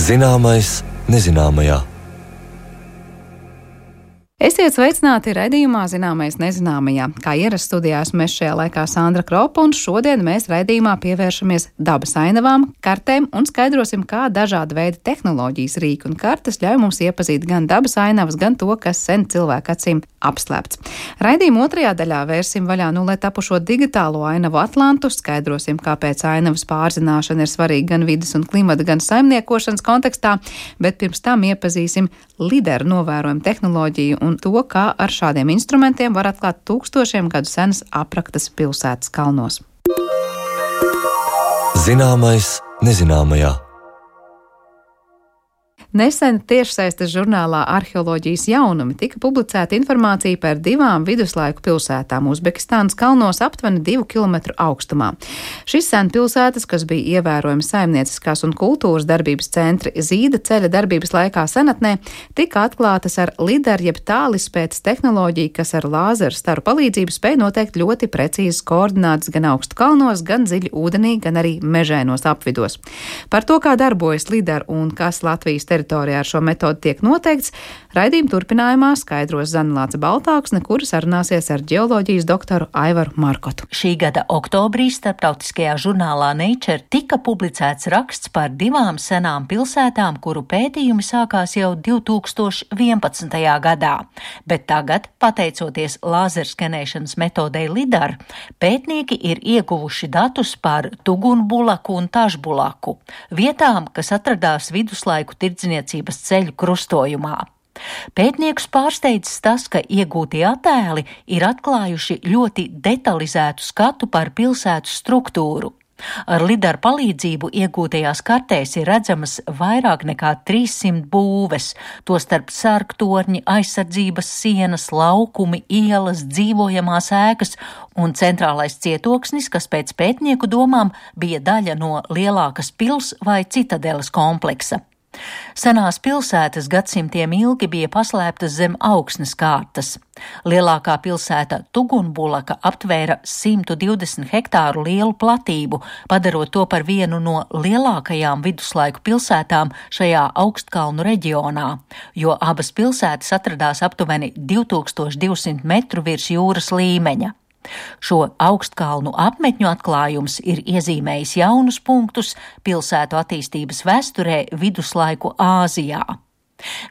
Zināmais nezināmajā. Esiet sveicināti raidījumā Zināmais nezināmajā. Kā ierasts studijā esmu es šajā laikā Sandra Kropa, un šodien mēs raidījumā pievēršamies dabas ainavām, kartēm un skaidrosim, kā dažāda veida tehnoloģijas, rīki un kartes ļauj mums iepazīt gan dabas ainavas, gan to, kas sen cilvēku acīm apslēpts. Raidījuma otrajā daļā vērsim vaļā nullē tapušo digitālo ainavu atlantu, skaidrosim, kāpēc ainavas pārzināšana ir svarīga gan vides un klimata, gan saimniekošanas kontekstā, bet pirms tam iepazīsim lideru novērojumu tehnoloģiju un to, kā ar šādiem instrumentiem var atklāt tūkstošiem gadu senas apraktas pilsētas kalnos. Zināmais nezināmajā. Nesen tiešsaistes žurnālā Arheoloģijas jaunumi tika publicēta informācija par divām viduslaiku pilsētām Uzbekistānas kalnos aptuveni 2 kilometru augstumā. Šis senpilsētas, kas bija ievērojami saimnieciskās un kultūras darbības centri Zīda ceļa darbības laikā senatnē, tika atklātas ar lidaru jeb tālizpētes tehnoloģiju, kas ar lāzeru staru palīdzību spēja noteikt ļoti precīzas koordinātas gan augstu kalnos, gan dziļi ūdenī, gan arī mežainos apvidos. Par to, kā darbojas lidaru un kas Latvijas teritorijā ar šo metodi tiek noteikts, raidījuma turpinājumā skaidros Zanelāce Baltāksne, kura sarunāsies ar ģeoloģijas doktoru Aivaru Markotu. Šī gada oktobrī starptautiskajā žurnālā Nature tika publicēts raksts par divām senām pilsētām, kuru pētījumi sākās jau 2011. gadā. Bet tagad, pateicoties lāzerskenēšanas metodei lidar, pētnieki ir ieguvuši datus par Tugunbulaku un Tašbulaku, vietām, kas atradās viduslaiku tirdzniecības ceļu krustojumā. Pētniekus pārsteidzis tas, ka iegūtie attēli ir atklājuši ļoti detalizētu skatu par pilsētu struktūru. Ar lidaru palīdzību iegūtajās kartēs ir redzamas vairāk nekā 300 būves, tostarp sargtorņi, aizsardzības sienas, laukumi, ielas, dzīvojamās ēkas un centrālais cietoksnis, kas pēc pētnieku domām bija daļa no lielākas pils vai citadeles kompleksa. Senās pilsētas gadsimtiem ilgi bija paslēptas zem augsnes kārtas. Lielākā pilsēta Tugunbulaka aptvēra 120 hektāru lielu platību, padarot to par vienu no lielākajām viduslaiku pilsētām šajā augstkalnu reģionā, jo abas pilsētas atradās aptuveni 2200 metru virs jūras līmeņa. Šo augstkalnu apmetņu atklājums ir iezīmējis jaunus punktus pilsētu attīstības vēsturē viduslaiku Āzijā.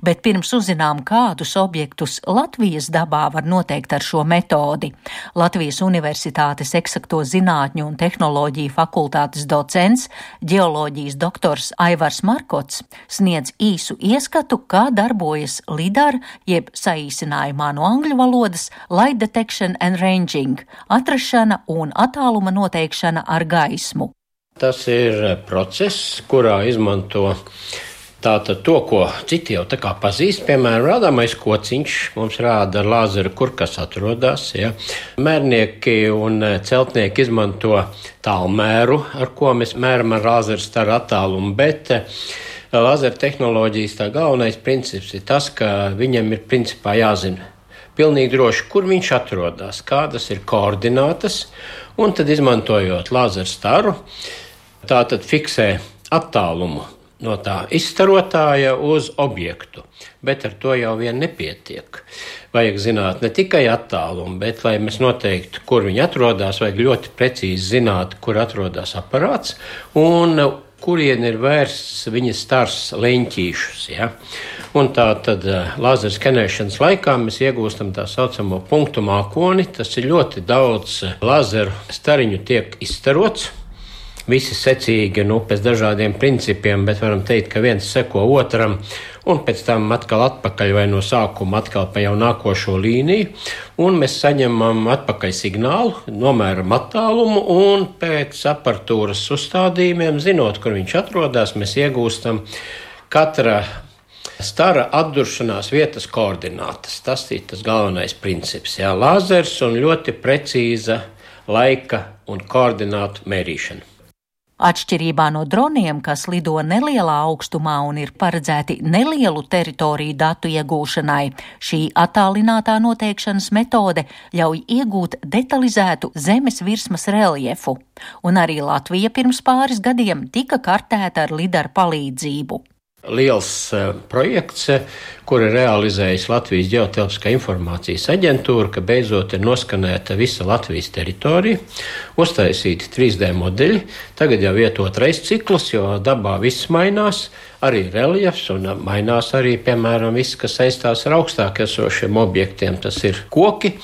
Bet pirms uzzinām, kādus objektus Latvijas dabā var noteikt ar šo metodi, Latvijas Universitātes eksakto zinātņu un tehnoloģiju fakultātes docents, ģeoloģijas doktors Aivars Markots sniedz īsu ieskatu, kā darbojas lidar, jeb saīsinājumā no angļu valodas Light Detection and Ranging, atrašana un attāluma noteikšana ar gaismu. Tas ir process, kurā izmanto tātad to, ko citi jau tā kā pazīst, piemēram, rādāmais kociņš mums rāda ar lāzeru, kur kas atrodas. Ja. Mērnieki un celtnieki izmanto tālmēru, ar ko mēs mēram ar lāzeru staru attālumu, bet lāzeru tehnoloģijas tā galvenais princips ir tas, ka viņam ir principā jāzina pilnīgi droši, kur viņš atrodas, kādas ir koordinātas, un tad izmantojot lāzeru staru, tātad fiksē attālumu no tā izstarotāja uz objektu, bet ar to jau vien nepietiek. Vajag zināt ne tikai attālumu, bet, lai mēs noteiktu, kur viņi atrodas, vajag ļoti precīzi zināt, kur atrodas aparāts un kurien ir vērsts viņa stars leņķīšus. Ja? Un tā tad lāzeru skenēšanas laikā mēs iegūstam tā saucamo punktu mākoni. Tas ir ļoti daudz lāzeru stariņu tiek izstarots. Visi secīgi, pēc dažādiem principiem, bet varam teikt, ka viens seko otram, un pēc tam atkal atpakaļ vai no sākuma atkal pa jau nākošo līniju, un mēs saņemam atpakaļ signālu, nomēram attālumu, un pēc aparatūras uzstādījumiem, zinot, kur viņš atrodas, mēs iegūstam katra stara atduršanās vietas koordinātas. Tas ir tas galvenais princips. Jā, lāzers un ļoti precīza laika un koordinātu mērīšana. Atšķirībā no droniem, kas lido nelielā augstumā un ir paredzēti nelielu teritoriju datu iegūšanai, šī attālinātā noteikšanas metode ļauj iegūt detalizētu zemes virsmas reljefu, un arī Latvija pirms pāris gadiem tika kartēta ar lidaru palīdzību. liels projekts, kuru realizējas Latvijas Ģeotelpiskā informācijas aģentūra, ka beidzot ir noskanēta visa Latvijas teritorija, uztaisīti 3D modeļi. Tagad jau iet otrais cikls, jo dabā viss mainās, arī reljefs un mainās arī, piemēram, viss, kas saistās ar augstāk esošiem objektiem. Tas ir koki,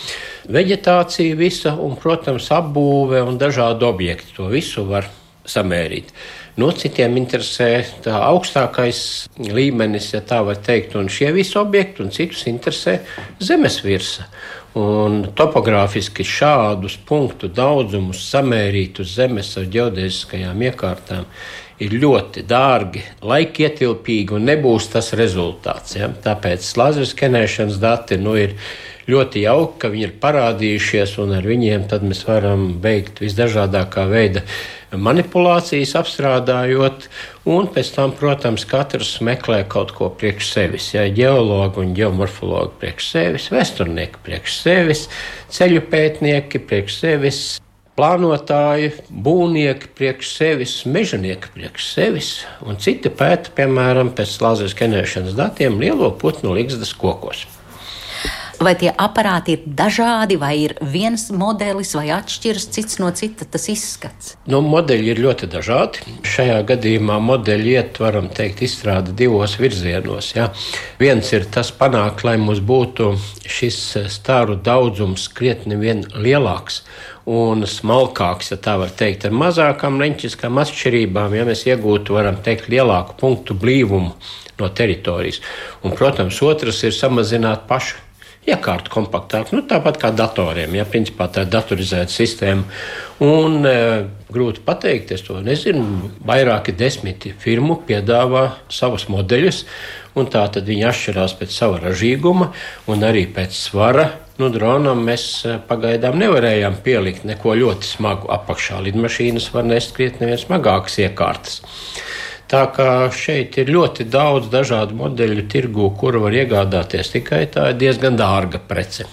veģetācija visa un, protams, apbūve un dažādi objekti. To visu var samērīt. No citiem interesē tā augstākais līmenis, ja tā var teikt, un šie visi objekti, un citus interesē zemes virsa. Un topogrāfiski šādus punktu daudzumus samērīt uz zemes ar ģeodēziskajām iekārtām ir ļoti dārgi, laikietilpīgi un nebūs tas rezultāts. Ja? Tāpēc lāzeru skenēšanas dati ir ļoti jauki, ka viņi ir parādījušies, un ar viņiem tad mēs varam veikt visdažādākā veida manipulācijas, apstrādājot, un pēc tam, protams, katrs meklē kaut ko priekš sevis. Ja, ģeologi un ģeomorfologi priekš sevis, vēsturnieki priekš sevis, ceļu pētnieki priekš sevis, plānotāji, būvnieki priekš sevis, mežonieki priekš sevis, un citi pēta, piemēram, pēc lāzeru skenēšanas datiem lielo putnu ligzdas kokos. Vai tie aparāti ir dažādi, vai ir viens modelis, vai atšķiras cits no cita tas izskats? Modeļi ir ļoti dažādi. Šajā gadījumā modeļi iet, varam teikt, izstrāda divos virzienos. Ja. Viens ir tas panākt, lai mums būtu šis stāru daudzums krietni vien lielāks un smalkāks, ja tā var teikt, ar mazākām leņķiskām atšķirībām, ja mēs iegūtu, varam teikt, lielāku punktu blīvumu no teritorijas. Un, protams, otrs ir samazināt pašu iekārtu kompaktāk, tāpat kā datoriem. Ja, principā tā ir datorizēta sistēma. Un grūti pateikt, es to nezinu, vairāki 10 firmu piedāvā savus modeļus, un tā tad viņi atšķirās pēc sava ražīguma un arī pēc svara. Dronam mēs pagaidām nevarējām pielikt neko ļoti smagu apakšā. Lidmašīnas var nest krietni vien smagākas iekārtas. Tā kā šeit ir ļoti daudz dažādu modeļu tirgū, kuru var iegādāties, tikai tā ir diezgan dārga prece.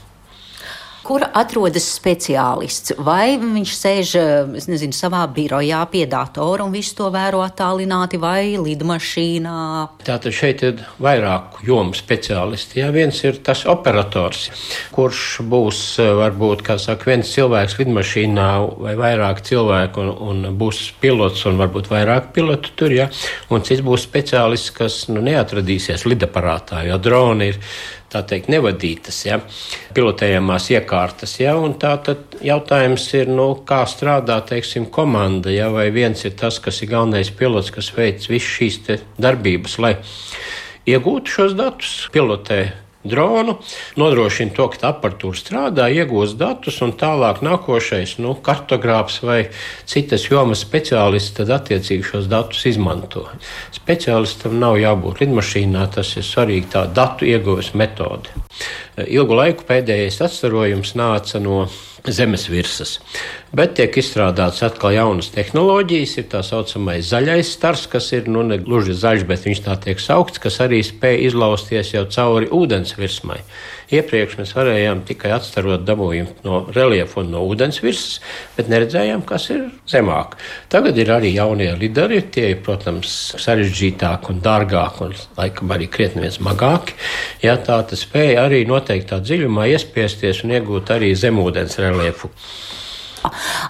Kur atrodas speciālists? Vai viņš sēž, savā birojā pie datora un visu to vēro attālināti, vai lidmašīnā? Tātad šeit ir vairāku jomu speciālisti. Ja, viens ir tas operators, kurš būs varbūt, viens cilvēks lidmašīnā vai vairāk cilvēku un būs pilots un varbūt vairāk pilotu tur, ja, un cits būs speciālists, kas neatradīsies lidaparātā, jo droni ir tā teikt, nevadītas, ja, pilotējamās iekārtas, ja, un tā tad jautājums ir, kā strādā, teiksim, komanda, ja, vai viens ir tas, kas ir galvenais pilots, kas veic visu šīs te darbības, lai iegūtu šos datus, pilotē dronu, nodrošina to, ka aparatūra strādā, iegūst datus, un tālāk nākošais, kartogrāfs vai citas jomas speciālists tad attiecīgi šos datus izmanto. Speciālistam nav jābūt lidmašīnā, tas ir svarīgi tā datu ieguves metode. Ilgu laiku pēdējais atstarojums nāca no zemes virsmas, bet tiek izstrādāts atkal jaunas tehnoloģijas, ir tā saucamais zaļais stars, kas ir, ne gluži zaļš, bet viņš tā tiek saukts, kas arī spēj izlausties jau cauri ūdens virsmai. Iepriekš mēs varējām tikai atstarot dabūjumu no reliefa un no ūdens virsmas, bet neredzējām, kas ir zemāk. Tagad ir arī jaunie lidari, tie ir, protams, sarežģītāki un dārgāki un laikam arī krietni vien smagāki. Ja, tā tas spēja arī noteiktā dziļumā iespiesties un iegūt arī zemūdens reliefu.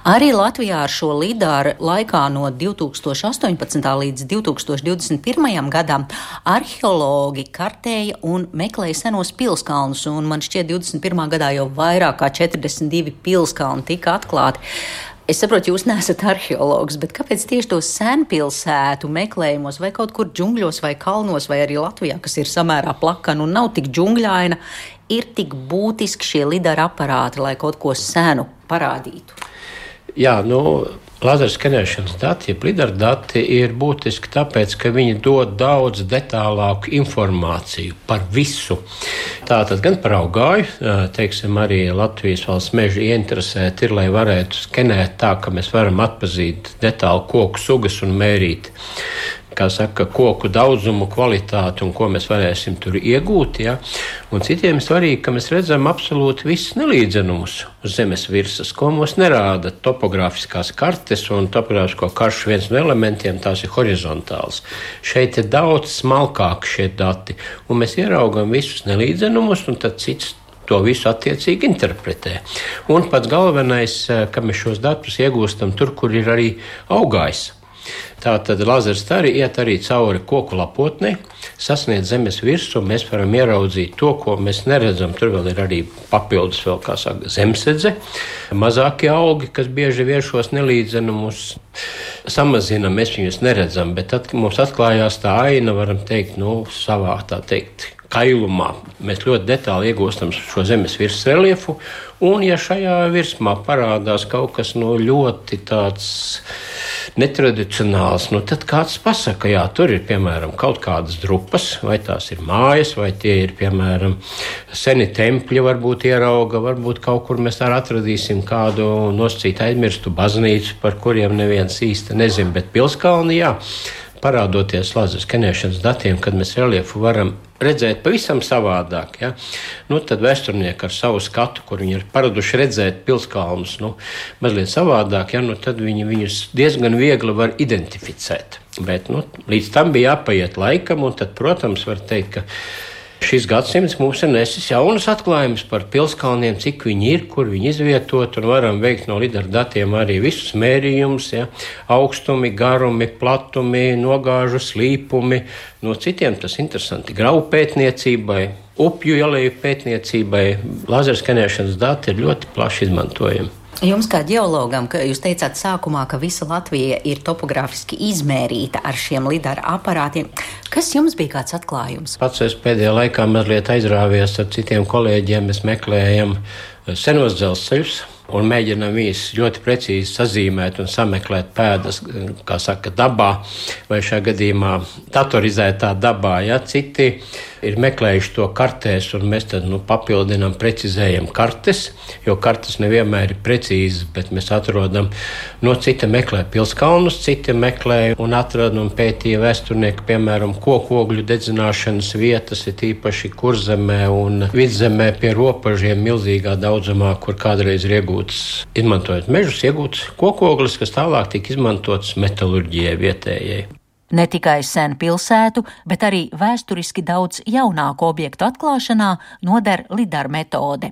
Arī Latvijā ar šo lidaru laikā no 2018. līdz 2021. gadam arheologi kartēja un meklēja senos pilskalnus, un man šķiet 21. gadā jau vairāk kā 42 pilskalni tika atklāti. Es saprotu, jūs neesat arheologs, bet kāpēc tieši to senpilsētu meklējumos vai kaut kur džungļos vai kalnos vai arī Latvijā, kas ir samērā plakana un nav tik džungļaina, ir tik būtiski šie lidara aparāti, lai kaut ko senu parādītu? Jā, lāzeru skenēšanas dati, jeb lidara dati ir būtiski tāpēc, ka viņi dod daudz detālāku informāciju par visu. Tātad gan par augāju, teiksim, arī Latvijas valsts meži ieinteresēti ir, lai varētu skenēt tā, ka mēs varam atpazīt detāli koku sugas un mērīt koku daudzumu, kvalitāti un ko mēs varēsim tur iegūt. Ja? Un citiem svarīgi, ka mēs redzam absolūti visus nelīdzenumus uz zemes virsmas, ko mums nerāda topogrāfiskās kartes un topogrāfisko karšu viens no elementiem, tās ir horizontāls. Šeit ir daudz smalkāki šie dati, un mēs ieraugam visus nelīdzenumus, un tad cits to visu attiecīgi interpretē. Un pats galvenais, ka mēs šos datus iegūstam tur, kur ir arī augājs. Tātad lazerstari iet arī cauri koku lapotnei, sasniedz zemes virsmu, un mēs varam ieraudzīt to, ko mēs neredzam. Tur vēl ir arī papildus vēl, kā saka, zemsedze, mazākie augi, kas bieži vien šos nelīdzenumus samazina, mēs viņus neredzam, bet tad mums atklājās tā aina, varam teikt, savā, tā teikt, kailumā. Mēs ļoti detāli iegūstam šo zemes virsmas reliefu, un ja šajā virsmā parādās kaut kas ļoti tāds netradicionāls, tad kāds pasaka, jā, tur ir, piemēram, kaut kādas drupas, vai tās ir mājas, vai tie ir, piemēram, seni tempļi, varbūt ierauga, varbūt kaut kur mēs arī atradīsim kādu nosacītu aizmirstu baznīcu, par kuriem neviens īsti nezin, bet Pilskalni, jā, parādoties lazeru skenēšanas datiem, kad mēs reliefu varam redzēt pavisam savādāk. Ja? Tad vēsturnieki ar savu skatu, kur viņi ir paraduši redzēt Pilskalnus, mazliet savādāk, ja? Tad viņi viņus diezgan viegli var identificēt. Bet līdz tam bija jāpaiet laikam, un tad, protams, var teikt, ka šis gadsimts mums ir nesis jaunas atklājumus par Pilskalniem, cik viņi ir, kur viņi izvietot, un varam veikt no lidara datiem arī visus mērījumus, ja, augstumi, garumi, platumi, nogāžu slīpumi. No citiem tas interesanti gravu pētniecībai, upju ieleju pētniecībai. Lazerskenēšanas dati ir ļoti plaši izmantojami. Jums kā ģeologam, ka jūs teicāt sākumā, ka visa Latvija ir topogrāfiski izmērīta ar šiem lidara aparātiem. Kas jums bija kāds atklājums? Pats es pēdējā laikā mazliet aizrāvies ar citiem kolēģiem. Mēs meklējam senos dzelzceļus un mēģinām viņus ļoti precīzi sazīmēt un sameklēt pēdas, kā saka, dabā vai šajā gadījumā datorizētā dabā. Ja? Citi ir meklējuši to kartēs, un mēs tad papildinām, precizējam kartes, jo kartes nevienmēr ir precīzas, bet mēs atrodam, citi meklē Pilskalnus, citi meklē un atrada un pētīja vēsturnieki, piemēram, kokogļu dedzināšanas vietas, ir īpaši Kurzemē un Vidzemē pie robežiem milzīgā daudzumā, kur kādreiz ir izmantojot mežus, iegūts kokoglis, kas tālāk tika izmantots metalurģijai vietējai. Ne tikai sen pilsētu, bet arī vēsturiski daudz jaunāku objektu atklāšanā noder lidar metode.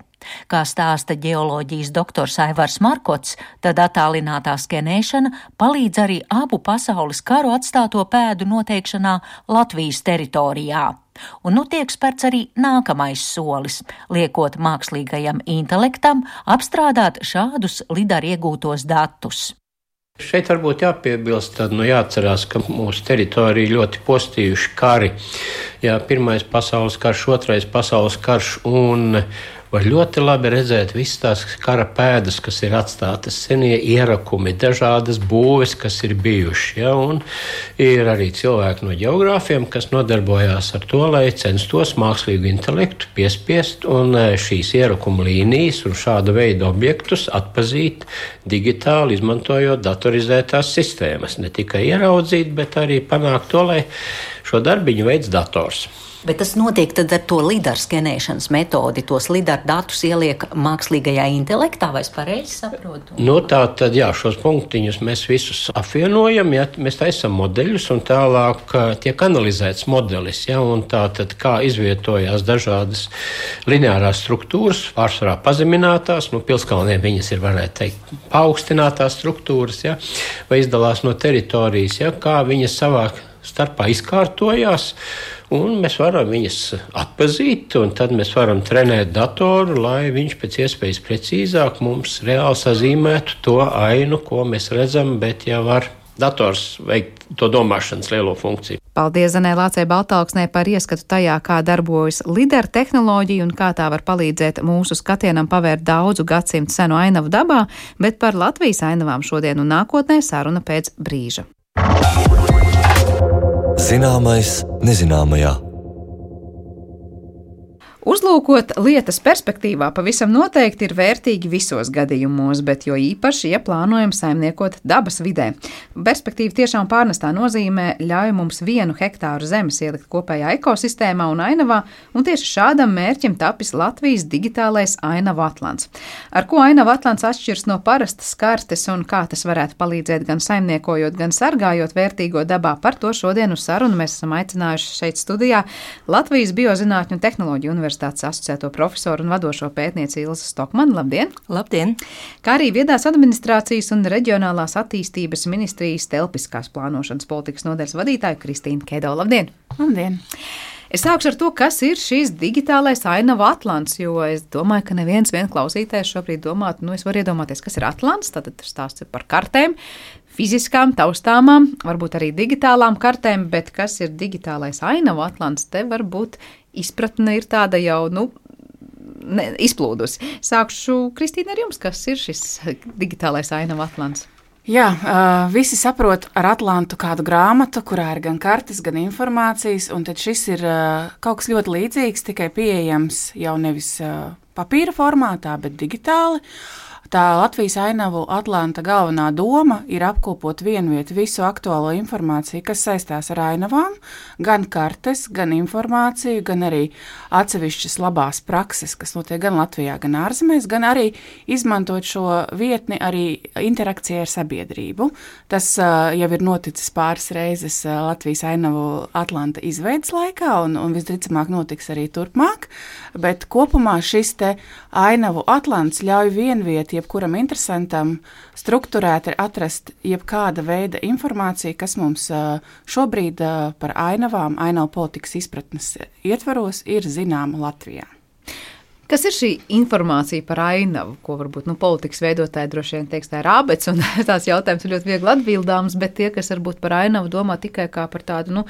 Kā stāsta ģeoloģijas doktors Aivars Markots, tad attālinātā skenēšana palīdz arī abu pasaules karu atstāto pēdu noteikšanā Latvijas teritorijā. Un tiek spērts arī nākamais solis, liekot mākslīgajam intelektam apstrādāt šādus lidar iegūtos datus. Šeit varbūt jāpiebilst, tad jāatcerās, ka mūsu teritorija ļoti postījuši kari. Jā, Pirmais pasaules karš, Otrais pasaules karš, un var ļoti labi redzēt visas tās kara pēdas, kas ir atstātas, senie ierakumi, dažādas būves, kas ir bijuši. Ja? Un ir arī cilvēki no ģeogrāfiem, kas nodarbojās ar to, lai censtos mākslīgu intelektu piespiest un šīs ierakuma līnijas un šāda veida objektus atpazīt digitāli, izmantojot datorizētās sistēmas. Ne tikai ieraudzīt, bet arī panākt to, lai šo darbiņu veids dators. Bet tas notiek tad ar to lidar skenēšanas metodi, tos lidar datus ieliek mākslīgajā intelektā, vai es pareizi saprotu? Tā tad, jā, šos punktiņus mēs visus apvienojam, ja, mēs taisam modeļus un tālāk tiek analizēts modelis, ja, un tā tad kā izvietojās dažādas lineārās struktūras, pārsvarā pazeminātās, Pilskalniem viņas ir, varētu teikt, paaugstinātās struktūras, ja, vai izdalās no teritorijas, ja, kā viņas savā starpā izkārtojās, un mēs varam viņas atpazīt, un tad mēs varam trenēt datoru, lai viņš pēc iespējas precīzāk mums reāli sazīmētu to ainu, ko mēs redzam, bet jau var dators veikt to domāšanas lielo funkciju. Paldies Zanē Lācei Baltalksnē par ieskatu tajā, kā darbojas lidar tehnoloģija un kā tā var palīdzēt mūsu skatienam pavērt daudzu gadsimtu senu ainavu dabā, bet par Latvijas ainavām šodien un nākotnē saruna pēc brīža. Zināmais nezināmajā. Palūkot lietas perspektīvā pavisam noteikti ir vērtīgi visos gadījumos, bet jo īpaši, ja plānojam saimniekot dabas vidē. Perspektīva tiešām pārnestā nozīmē ļauj mums 1 hektāru zemes ielikt kopējā ekosistēmā un ainavā, un tieši šādam mērķim tapis Latvijas digitālais ainavu atlants. Ar ko ainavu atlants atšķirs no parastas kartes un kā tas varētu palīdzēt gan saimniekojot, gan sargājot vērtīgo dabā, par to šodien uz sarunu mēs esam aicinājuši šeit studijā Latvijas Biozinātņu un tehnoloģiju universitātes asociēto profesoru un vadošo pētnieci Ilzi Stokmanu. Labdien! Labdien! Kā arī Viedās administrācijas un reģionālās attīstības ministrijas telpiskās plānošanas politikas nodaļas vadītāju Kristīnu Kedo. Labdien! Labdien! Es sākšu ar to, kas ir šīs digitālais ainavu atlants, jo es domāju, ka neviens klausītājs šobrīd domātu, es varu iedomāties, kas ir atlants, tad stāsts par kartēm, fiziskām, taustāmām, varbūt arī digitālām kartēm, bet kas ir digitālais ainavu atlants, te varbūt izpratne ir tāda jau, izplūdusi. Sākšu, Kristīna, ar jums, kas ir šis digitālais ainavu atlants? Jā, visi saprot ar atlantu kādu grāmatu, kurā ir gan kartes, gan informācijas, un tad šis ir kaut kas ļoti līdzīgs, tikai pieejams jau nevis papīra formātā, bet digitāli. Tā Latvijas ainavu atlanta galvenā doma ir apkopot vienvietu visu aktuālo informāciju, kas saistās ar ainavām, gan kartes, gan informāciju, gan arī atsevišķas labās prakses, kas notiek gan Latvijā, gan ārzemēs, gan arī izmantot šo vietni arī interakcijai ar sabiedrību. Tas jau ir noticis pāris reizes Latvijas ainavu atlanta izveidas laikā un visdrīzāk notiks arī turpmāk, bet kopumā šis te ainavu atlants ļauj vienvieti jebkuram interesantam strukturēt ir atrast jebkāda veida informāciju, kas mums šobrīd par ainavām, ainavu politikas izpratnes ietvaros ir zināma Latvijā. Kas ir šī informācija par ainavu, ko varbūt politikas veidotāji droši vien teiks, tā ir ābets, un tās jautājums ir ļoti viegli atbildāms, bet tie, kas varbūt par ainavu domā tikai kā par tādu,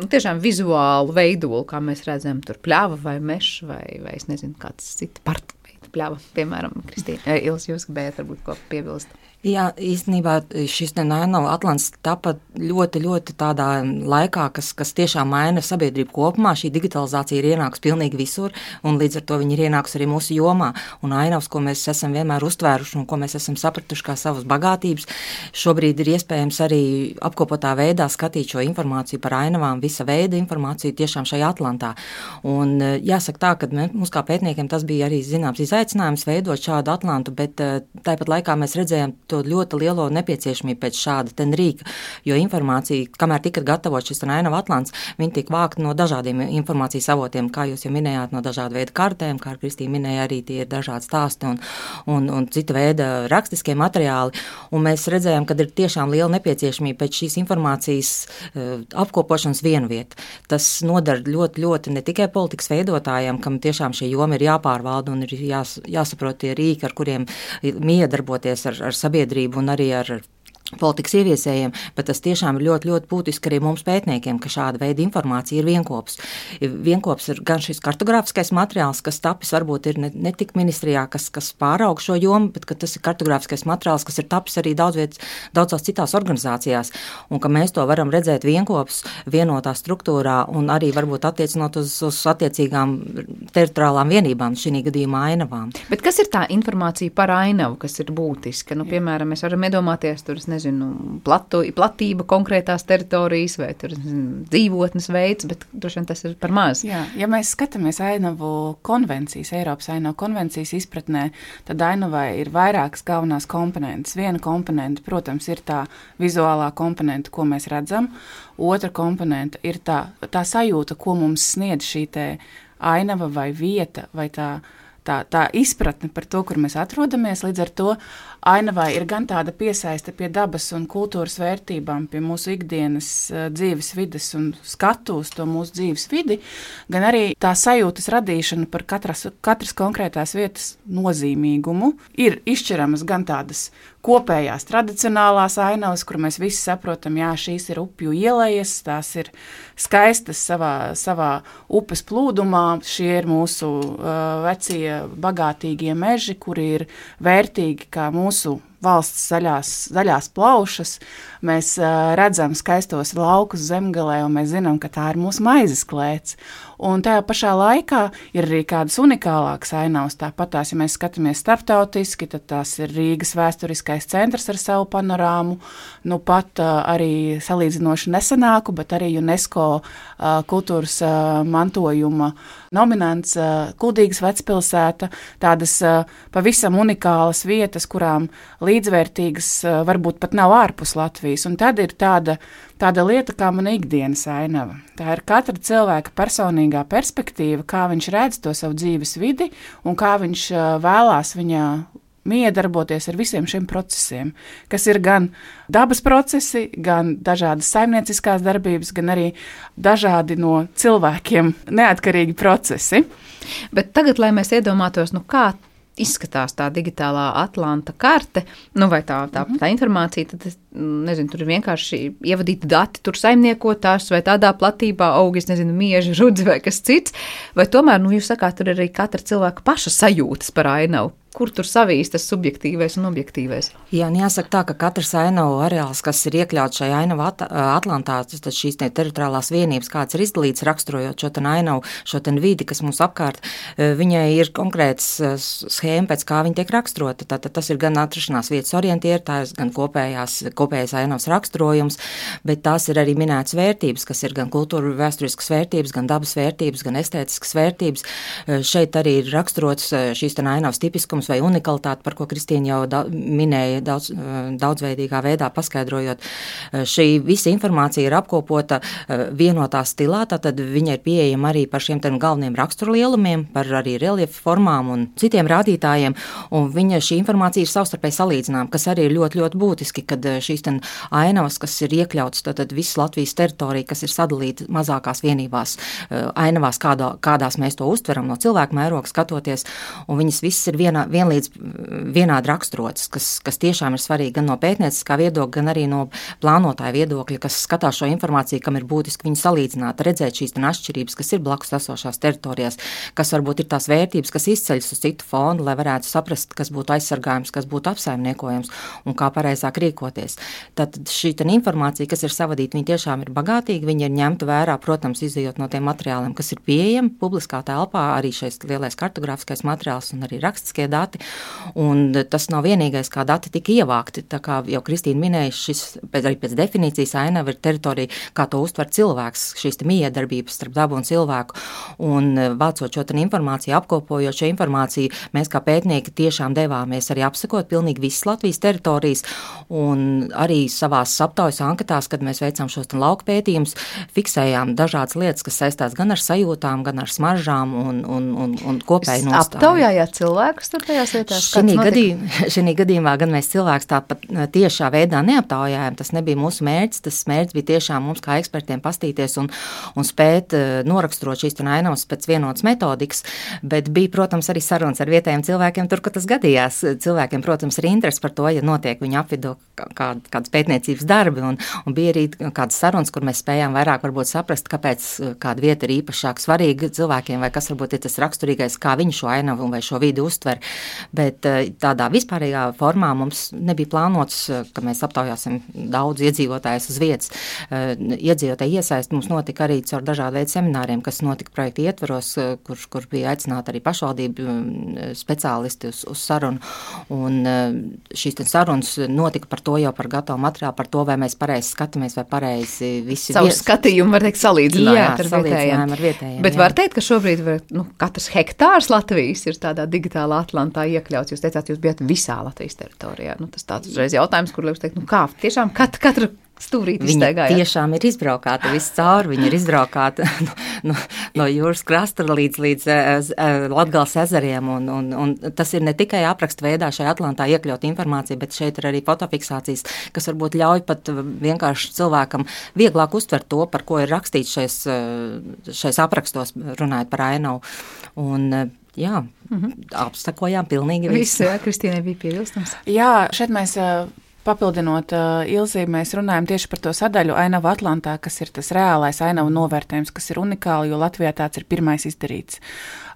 tiešām vizuālu veidolu, kā mēs redzam, tur pļava vai mežs vai es nezinu, kāds cits parta pļava, piemēram, Kristīna. Ilzi, jūs gribējāt varbūt ko piebilst? Jā, īstenībā šis ainavu atlants tapa ļoti, ļoti tādā laikā, kas tiešām maina sabiedrību kopumā. Šī digitalizācija ir ienākusi pilnīgi visur, un līdz ar to viņi ir ienākusi arī mūsu jomā. Un ainavas, ko mēs esam vienmēr uztvēruši un ko mēs esam sapratuši kā savas bagātības, šobrīd ir iespējams arī apkopotā veidā skatīt šo informāciju par ainavām, visa veida informāciju tiešām šajā atlantā. Un jāsaka tā, ka mums kā pētniekiem tas bija arī zināms izaicinājums veidot šādu atlantu, bet tāpat laikā mēs redzējām to ļoti lielo nepieciešamību pēc šāda rīka, jo informācija, kamēr tika gatavot šis ainavu atlants, viņi tika vākti no dažādiem informācijas avotiem, kā jūs jau minējāt, no dažāda veida kartēm, kā Kristīna minēja, arī tie ir dažādi stāsti un cita veida rakstiskie materiāli, un mēs redzējām, ka ir tiešām liela nepieciešamība pēc šīs informācijas apkopošanas vienvieta. Tas nodara ļoti, ļoti ne tikai politikas veidotājiem, kam tiešām šī joma ir jāpārvalda un ir jāsaprot tie rīki, ar kuriem miedarboties ar sabiedrību un arī ar politikas ieviesējiem, bet tas tiešām ir ļoti, ļoti būtiski arī mums pētniekiem, ka šāda veida informācija ir vienkops. Vienkops ir gan šis kartogrāfiskais materiāls, kas tapis varbūt ir ne tik ministrijā, kas pāraug šo jomu, bet ka tas ir kartogrāfiskais materiāls, kas ir tapis arī daudzās citās organizācijās, un ka mēs to varam redzēt vienkops, vienotā struktūrā un arī varbūt attiecinot uz attiecīgām teritoriālām vienībām, šī gadījumā ainavām. Bet kas ir tā informācija par ainavu, kas ir būtiska? Piemēram, mēs varam iedomāties, platība konkrētās teritorijas vai dzīvotnes veids, bet droši vien tas ir par maz. Jā, ja mēs skatāmies ainavu konvencijas, Eiropas ainavu konvencijas izpratnē, tad ainavai ir vairākas galvenās komponentes. Viena komponente, protams, ir tā vizuālā komponente, ko mēs redzam. Otra komponente ir tā sajūta, ko mums sniedz šī te ainava vai vieta vai tā izpratne par to, kur mēs atrodamies. Līdz ar to ainavai ir gan tāda piesaiste pie dabas un kultūras vērtībām, pie mūsu ikdienas dzīves vides un skatu uz to mūsu dzīves vidi, gan arī tā sajūtas radīšana par katras konkrētās vietas nozīmīgumu. Ir izšķiramas gan tādas kopējās tradicionālās ainavas, kur mēs visi saprotam, jā, šīs ir upju ielejas, tās ir skaistas savā upes plūdumā, šie ir mūsu vecie bagātīgie meži, kuri ir vērtīgi kā mūsu valsts zaļās plaušas, mēs redzam skaistos laukus zemgalē, un mēs zinām, ka tā ir mūsu maizes klēts. Un tajā pašā laikā ir arī kādas unikālākas ainavas. Tāpat tās, ja mēs skatāmies starptautiski, tad tās ir Rīgas vēsturiskais centrs ar savu panorāmu, nu pat arī salīdzinoši nesenāku, bet arī UNESCO kultūras mantojuma nominants Kuldīgas vecpilsēta, tādas pavisam unikālas vietas, kurām līdzvērtīgas varbūt pat nav ārpus Latvijas. Un tad ir tāda lieta kā mana ikdienas ainava. Tā ir katra cilvēka personīgā perspektīva, kā viņš redz to savu dzīves vidi un kā viņš vēlās viņā miedarboties ar visiem šiem procesiem, kas ir gan dabas procesi, gan dažādas saimnieciskās darbības, gan arī dažādi no cilvēkiem neatkarīgi procesi. Bet tagad, lai mēs iedomātos, kā izskatās tā digitālā Atlanta karte, vai tā informācija, tad nezinu, tur ir vienkārši ievadīti dati, tur saimniekotās vai tādā platībā aug, mieži, rudzi vai kas cits, vai tomēr, jūs sakāt, tur ir arī katra cilvēka paša sajūtas par ainavu. Kur tur savīs tas subjektīvais un objektīvais? Jā, jāsaka tā, ka katrs ainavu areāls, kas ir iekļauts šajā ainavu Atlantā, tad šīs teritoriālās vienības, kāds ir izdalīts raksturojot šo ainavu, šo vidi, kas mums apkārt, viņai ir konkrēts schēma, pēc kā viņa tiek raksturota. Tātad tas ir gan atrašanās vietas orientētājs, gan kopējais ainavas raksturojums, bet tās ir arī minētas vērtības, kas ir gan kultūra vēsturiskas vērtības, gan dabas vērtības, gan estētiskas vērtības. Šeit arī ir raksturots šīs ainavas tipiskums vai unikalitāte, par ko Kristīna jau minēja daudzveidīgā veidā paskaidrojot. Šī visa informācija ir apkopota vienotā stilā, tātad viņa ir pieejama arī par šiem galveniem raksturlielumiem, par arī reliefu formām un citiem rādītājiem, un šī informācija ir savstarpēji salīdzināma, kas arī ir ļoti, ļoti būtiski, kad šīs ainavas, kas ir iekļautas, tātad visas Latvijas teritorija, kas ir sadalīta mazākās vienībās, ainavās, kādās mēs to uztveram no cilvēku mēroga skatoties, un viņas visas ir vienādi raksturotas, kas tiešām ir svarīgi gan no pētnieciskā viedokļa, gan arī no plānotāja viedokļa, kas skatās šo informāciju, kam ir būtiski viņu salīdzināt, redzēt šīs atšķirības, kas ir blakus esošās teritorijās, kas varbūt ir tās vērtības, kas izceļas uz citu fondu, lai varētu saprast, kas būtu aizsargājums, kas būtu apsaimniekojams un kā pareizāk rīkoties. Tad šī informācija, kas ir savadīta, viņa tiešām ir bagātīga, viņa ir ņemta vērā, protams, izējot no tiem materiāliem, kas ir pieejami publiskā telpā, arī šais lielais kartogrāfiskais materiāls un arī rakstiskie dati, un tas nav vienīgais, kā dati tika ievākti. Tā kā jau Kristīna minēja, šis arī pēc definīcijas ainava ir teritorija, kā to uztver cilvēks, šīs miedarbības starp dabu un cilvēku, un vācot šo informāciju, apkopojot šo informāciju, mēs kā pētnieki tiešām devāmies arī apsekot pilnīgi visas Latvijas teritorijas, un arī savās aptaujas anketās, kad mēs veicām šos lauku pētījumus, fiksējām dažādas lietas, kas saistās gan ar sajūtām, gan ar smaržām un kopēju nostāju. Aptaujājāt cilvēkus tur tajās vietās? Šī gadījumā gan mēs cilvēks tāpat tiešā veidā neaptaujājām, tas nebija mūsu mērķis, tas mērķis bija tiešām mums kā ekspertiem pastīties un spēt noraksturot šīs ainavas pēc vienotas metodikas, bet bija, protams, arī sarunas ar vietējiem cilvēkiem tur, ka tas gadījās. Cilvēkiem, protams, ir interesi par to, ja notiek viņa apvidū kādas pētniecības darbi, un bija arī kādas sarunas, kur mēs spējām vairāk varbūt saprast, kāpēc kāda vieta ir īpašāk svarīga cilvēkiem, vai kas varbūt ir tas raksturīgais, kā viņi šo ainavu vai šo vidi uztver. Bet tādā vispārīgā formā mums nebija plānots, ka mēs aptaujāsim daudz iedzīvotājus uz vietas. Iedzīvotāji iesaist mums notika arī caur dažādu veidu semināriem, kas notika projekta ietvaros, kur bija aicināti arī pašvaldību speciālisti uz sarunu. Un šīs sarunas notika par to jau par gatavu materiālu, par to, vai mēs pareizi skatāmies, vai pareizi visi savu skatījumu, var teikt, salīdzinājāt ar vietējiem. Bet var teikt, ka šobrīd katrs hektārs Latvijas ir tādā digitālā Atlantā iekļauts. Jūs teicāt, jūs bijat visā Latvijas teritorijā. Tas tāds uzreiz jautājums, kur liek teikt, kā tiešām katra stūrīti iztaigājāt? Viņa tiešām ir izbraukāta viss cauri, viņa ir izbraukāta no jūras krasta līdz Latgales ezeriem, un tas ir ne tikai apraksta veidā šajā Atlantā iekļaut informāciju, bet šeit ir arī fotofiksācijas, kas varbūt ļauj pat vienkārši cilvēkam vieglāk uztvert to, par ko ir rakstīts šais aprakstos, runājot par ainavu. Un jā, apsakojām pilnīgi visu. Jā, Kristīnai bija piebilstams. Jā, šeit mēs papildinot Ilzi, mēs runājam tieši par to sadaļu Ainava Atlantā, kas ir tas reālais ainavu novērtējums, kas ir unikāli, jo Latvijā tāds ir pirmais izdarīts.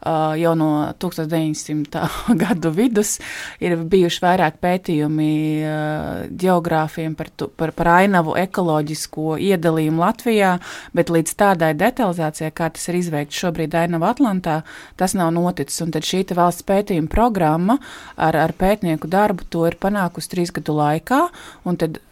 Jau no 1900. gadu vidus ir bijuši vairāk pētījumi ģeogrāfiem par ainavu ekoloģisko iedalījumu Latvijā, bet līdz tādai detalizācijai, kā tas ir izveikts šobrīd Ainava Atlantā, tas nav noticis. Un tad šī valsts pētījuma programma ar pētnieku darbu to ir panākusi 3 gadu laikā, un tad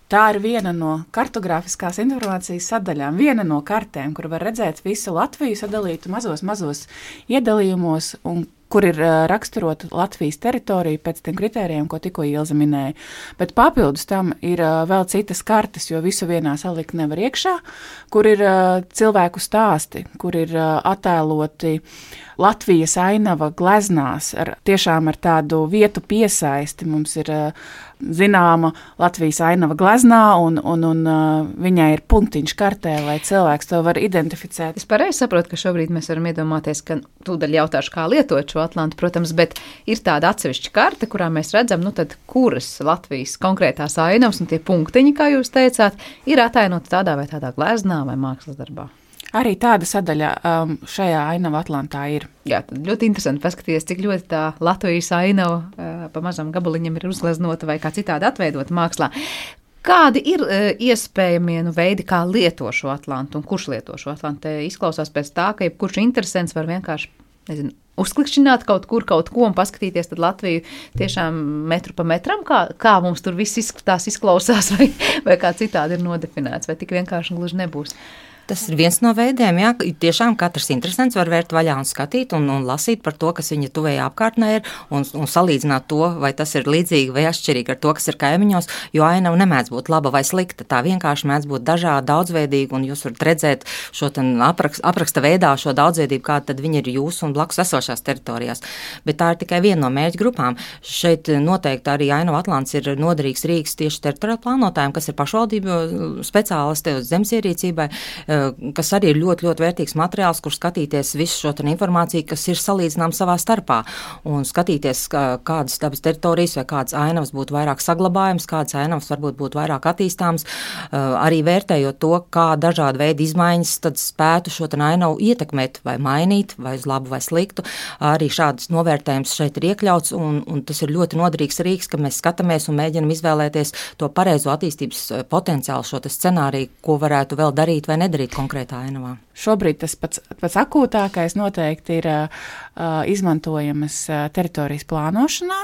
tā ir viena no kartogrāfiskās informācijas sadaļām, viena no kartēm, kur var redzēt visu Latviju sadalītu mazos iedalījumos, un kur ir raksturota Latvijas teritorija pēc tiem kritērijiem, ko tikko Ilze minēja. Bet papildus tam ir vēl citas kartes, jo visu vienā salikt nevar iekšā, kur ir cilvēku stāsti, kur ir attēloti Latvijas ainava gleznās, tiešām ar tādu vietu piesaisti. Mums ir zināma Latvijas ainava gleznā, un viņai ir punktiņš kartē, lai cilvēks to var identificēt. Es pareizi saprotu, ka šobrīd mēs varam iedomāties, ka tūdaļ jautāšu, kā lietot šo Atlantu, protams, bet ir tāda atsevišķa karte, kurā mēs redzam, tad kuras Latvijas konkrētās ainavas un tie punktiņi, kā jūs teicāt, ir atainoti tādā vai tādā gleznā vai mākslas darbā. Arī tāda sadaļa šajā Ainava Atlantā ir. Jā, tad ļoti interesanti paskatīties, cik ļoti tā Latvijas ainava pa mazam gabaliņam ir uzgleznota vai kā citādi atveidota mākslā. Kādi ir iespējamie veidi, kā lieto šo Atlantu un kurš lieto šo Atlantu? Te izklausās pēc tā, ka jebkurš interesants var vienkārši, uzklikšķināt kaut ko un paskatīties tad Latviju tiešām metru pa metram, kā mums tur viss izklausās vai kā citādi ir nodefinēts, vai tik vienkārši gluži nebūs. Tas ir viens no veidiem, jā, tiešām katrs interesants var vērt vaļā un skatīt un lasīt par to, kas viņa tuvējā apkārtnē ir un salīdzināt to, vai tas ir līdzīgi vai atšķirīgi ar to, kas ir kaimiņos, jo ainava nemēdz būt laba vai slikta, tā vienkārši mēdz būt dažāda, daudzveidīga, un jūs varat redzēt šo apraksta veidā šo daudzveidību, kāda tad viņa ir jūsu un blakus esošās teritorijās. Bet tā ir tikai viena no mērķa grupām. Šeit noteikti arī Ainava Atlants ir noderīgs rīks tieši teritoriālu plānotājiem, kas ir pašvaldību speciālisti uz zemes ierīcībai, kas arī ir ļoti, ļoti vērtīgs materiāls, kur skatīties visu šo informāciju, kas ir salīdzinām savā starpā, un skatīties, kādas dabas teritorijas vai kādas ainavas būtu vairāk saglabājums, kādas ainavas varbūt būtu vairāk attīstāms, arī vērtējot to, kā dažādi veidi izmaiņas tad spētu šo ainavu ietekmēt vai mainīt, vai uz labu vai sliktu. Arī šādas novērtējums šeit ir iekļauts, un tas ir ļoti noderīgs rīks, ka mēs skatāmies un mēģinam izvēlēties to pareizo attīstības potenciālu, šo scenāriju, ko varētu vēl darīt vai nedarīt konkrētā ainavā. Šobrīd tas pats akūtākais noteikti ir izmantojamas teritorijas plānošanā,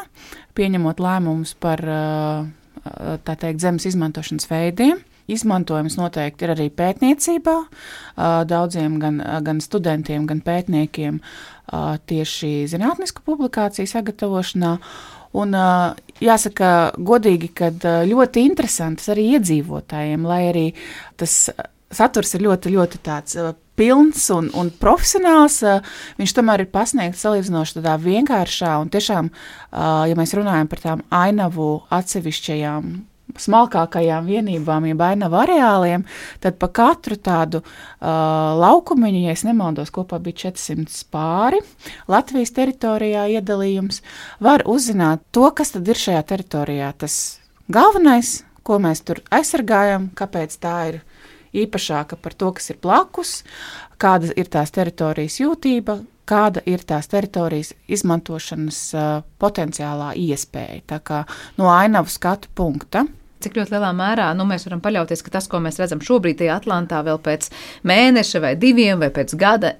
pieņemot lēmumus par tā teikt zemes izmantošanas veidiem. Izmantojums noteikti ir arī pētniecībā, daudziem gan studentiem, gan pētniekiem tieši zinātnisku publikāciju sagatavošanā. Un jāsaka godīgi, kad ļoti interesants arī iedzīvotājiem, lai arī tas saturs ir ļoti, ļoti tāds pilns un profesionāls, viņš tomēr ir pasniegts salīdzinoši tādā vienkāršā un tiešām, ja mēs runājam par tām ainavu atsevišķajām smalkākajām vienībām, jeb ainavu areāliem, tad pa katru tādu laukumiņu, ja es nemaldos, kopā bija 400 pāri Latvijas teritorijā iedalījums, var uzzināt to, kas tad ir šajā teritorijā. Tas galvenais, ko mēs tur aizsargājam, kāpēc tā ir īpašāka par to, kas ir blakus, kāda ir tās teritorijas jūtība, kāda ir tās teritorijas izmantošanas potenciālā iespēja. Tā kā no ainavu skatu punkta. Cik ļoti lielā mērā mēs varam paļauties, ka tas, ko mēs redzam šobrīd tajā Atlantā, vēl pēc mēneša vai 2 vai pēc gada,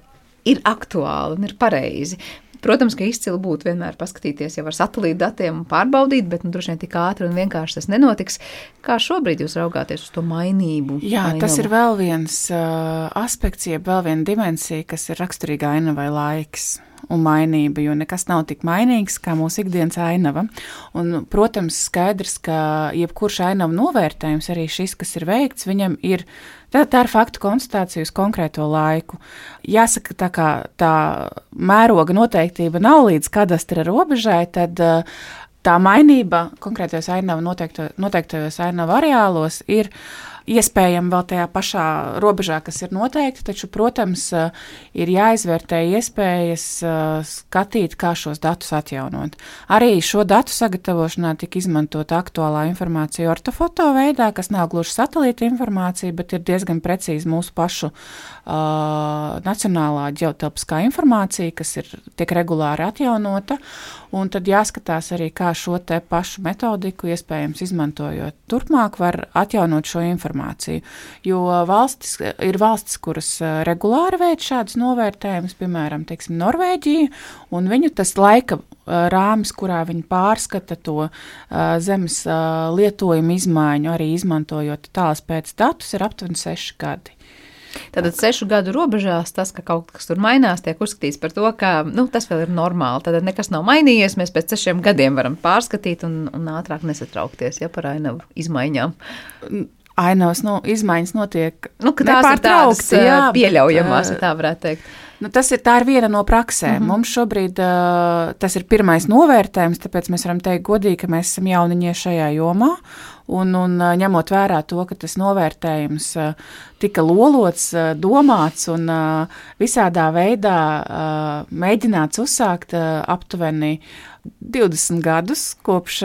ir aktuāli un ir pareizi. Protams, ka izcili būtu vienmēr paskatīties jau ar satelītu datiem un pārbaudīt, bet droši vien tik ātri un vienkārši tas nenotiks. Kā šobrīd jūs raugāties uz to mainību? Jā, tas ir vēl viens aspekts, jeb vēl viena dimensija, kas ir raksturīga ainavai laiks un mainība, jo nekas nav tik mainīgs kā mūsu ikdienas ainava. Un, protams, skaidrs, ka jebkurš ainavu novērtējums, arī šis, kas ir veikts, viņam ir tā ir faktu konstatācija uz konkrēto laiku. Jāsaka, tā kā tā mēroga noteiktība nav līdz kadastra robežai, tad tā mainība konkrētajos ainavu noteiktajos ainavu areālos ir iespējami vēl tajā pašā robežā, kas ir noteikti, taču, protams, ir jāizvērtē iespējas skatīt, kā šos datus atjaunot. Arī šo datu sagatavošanā tika izmantota aktuālā informācija ortofoto veidā, kas nav gluži satelīta informācija, bet ir diezgan precīzi mūsu pašu nacionālā ģeotelpiskā informācija, kas tiek regulāri atjaunota, un tad jāskatās arī, kā šo te pašu metodiku, iespējams izmantojot turpmāk, var atjaunot šo informāciju. Jo ir valstis, kuras regulāri veic šādus novērtējumus, piemēram, teiksim, Norvēģija, un viņu tas laika rāmis, kurā viņi pārskata to zemes lietojumu izmaiņu, arī izmantojot tālas pēc datus, ir aptuveni 6 gadi. Tātad 6 gadu robežās tas, ka kaut kas tur mainās, tiek uzskatīts par to, ka tas vēl ir normāli. Tātad nekas nav mainījies, mēs pēc 6 gadiem varam pārskatīt un ātrāk nesatraukties par ainavu izmaiņām. Ainavas izmaiņas notiek nepārtraukti, pieļaujamās, ja tā varētu teikt. Tā ir viena no praksēm. Mums šobrīd tas ir pirmais novērtējums, tāpēc mēs varam teikt godīgi, ka mēs esam jauniņie šajā jomā. Un ņemot vērā to, ka tas novērtējums tika lolots, domāts un visādā veidā mēģināts uzsākt aptuveni 20 gadus kopš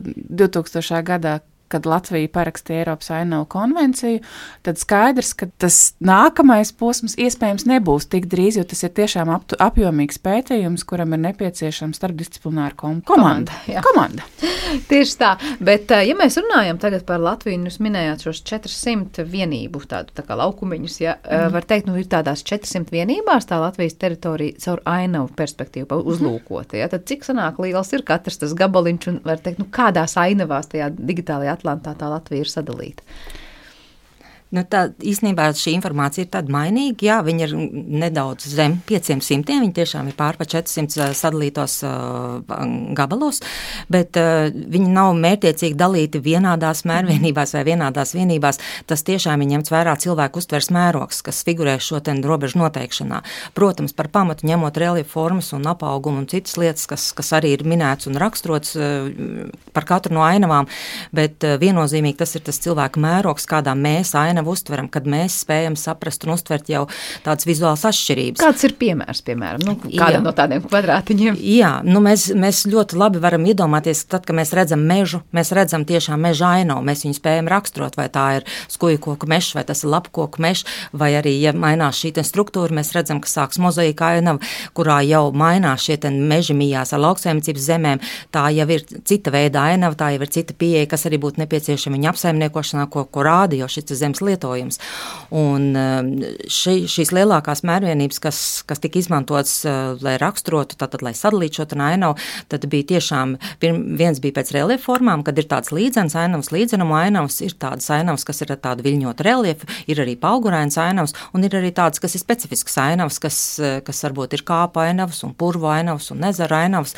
2000. gadā, kad Latvija parakstīja Eiropas ainavu konvenciju, tad skaidrs, ka tas nākamais posms iespējams nebūs tik drīz, jo tas ir tiešām apjomīgs pētījums, kuram ir nepieciešama starpdisciplināra komanda. Tieši tā, bet ja mēs runājam tagad par Latviju, jūs minējāt šos 400 vienību, tādu tā kā laukumiņus, var teikt, ir tādās 400 vienībās tā Latvijas teritorija caur ainavu perspektīvu uzlūkota, tad cik sanāk liels ir katrs tas gabaliņš un var teikt, kādās ainavās tajā digitālajā Atlantā tā Latvija ir sadalīta? Tā īstenībā šī informācija ir tāda mainīga, jā, viņi ir nedaudz zem 500, viņi tiešām ir pār pa 400 sadalītos gabalos, bet viņi nav mērķiecīgi dalīti vienādās mērvienībās vai vienādās vienībās, tas tiešām ir ņemts vērā cilvēku uztvers mērogs, kas figurē šo robežu noteikšanā. Protams, par pamatu ņemot reliefu formas un apaugumu un citas lietas, kas arī ir minēts un raksturots par katru no ainavām, bet viennozīmīgi tas ir tas cilvēku mērogs, kādā mēs ainavu uztveram, kad mēs spējam saprast un uztvert jau tādas vizuālas atšķirības. Kāds ir piemērs, piemēram, kādam no tādiem kvadrātiņiem? Jā, mēs ļoti labi varam iedomāties, tad, kad mēs redzam mežu, mēs redzam tiešām meža ainavu, mēs viņu spējam raksturot, vai tā ir skujkoku mežs, vai tas ir lapkoku mežs, vai arī, ja mainās šī struktūra, mēs redzam, ka sāks mozaīka ainava, kurā jau mainās šie meži mijās ar lauksaimniecības zemēm, tā jau ir cita veida ainava, tā jau ir cita pieeja, kas arī būtu nepieciešama viņa apsaimniekošanā, ko rāda jau šis zemes lietojums. Un šīs lielākās mērvienības, kas tika izmantotas, lai raksturotu, tātad, lai sadalītu šo ainavu, tad bija tiešām, viens bija pēc reliefu formām, kad ir tāds līdzenas ainavas, līdzenumu ainavas, ir tādas ainavas, kas ir ar tādu viļņotu reliefu, ir arī paugurainas ainavas, un ir arī tādas, kas ir specifiskas ainavas, kas varbūt ir kāpa ainavas, un purvu ainavas, un ezera ainavas,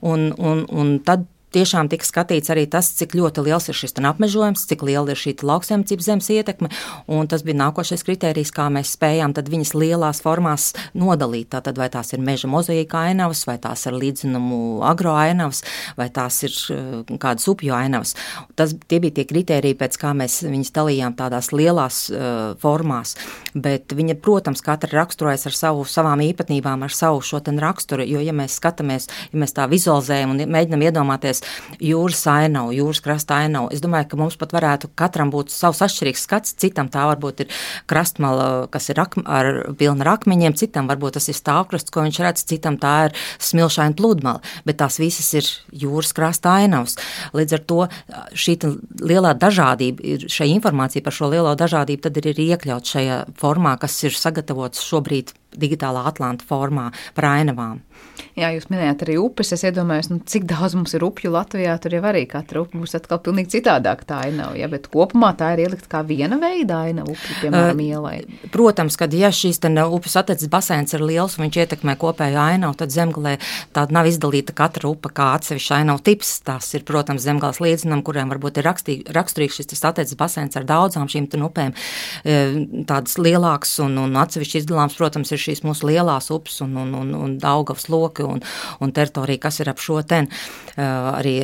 un tad tiešām tika skatīts arī tas, cik ļoti liels ir šis apmežojums, cik liela ir šī lauksaimniecības zemes ietekme, un tas bija nākošais kritērijs, kā mēs spējām tad viņas lielās formās nodalīt. Tātad vai tās ir meža mozaīka ainavas, vai tās ir līdzenumu agro ainavas, vai tās ir kādas upju ainavas. Tie bija tie kritēriji, pēc kā mēs viņas dalījām tādās lielās formās, bet viņa, protams, katra raksturojas ar savām īpatnībām, ar savu šo raksturu, jo, ja mēs skatāmies, ja mēs tā vizualizējam un mēģinam iedomāties jūras ainavu, jūras krasta ainavu. Es domāju, ka mums pat varētu katram būt savs atšķirīgs skats, citam tā varbūt ir krastmala, kas ir pilna ar akmeņiem, citam varbūt tas ir stāvkrasts, ko viņš redz, citam tā ir smilšaina pludmala, bet tās visas ir jūras krasta ainavas. Līdz ar to šī lielā dažādība, šai informācija par šo lielo dažādību tad ir iekļaut šajā formā, kas ir sagatavots šobrīd digitālā Atlanta formā par ainavām. Jā, jūs minējāt arī upes, es iedomājos, cik daudz mums ir upju Latvijā, tur jau arī katra upe būs atkal pilnīgi citādāk tā ainava, ja, bet kopumā tā ir ielikt kā viena veida ainava upju, piemēram, ielai. Protams, kad ja šīs upes atteces basēns ir liels un viņš ietekmē kopēju ainavu, tad zemgalē tāda nav izdalīta katra upe kā atsevišķa ainavu tips. Tas ir, protams, zemgales līdzenam, kuriem varbūt ir raksturīgs šis atteces basēns ar daudzām šīm upēm, tādas lielākas un atsevišķi izdalāms, protams, ir šīs mūsu lielās upes un Daugavas loki un teritorija, kas ir ap šo ten, arī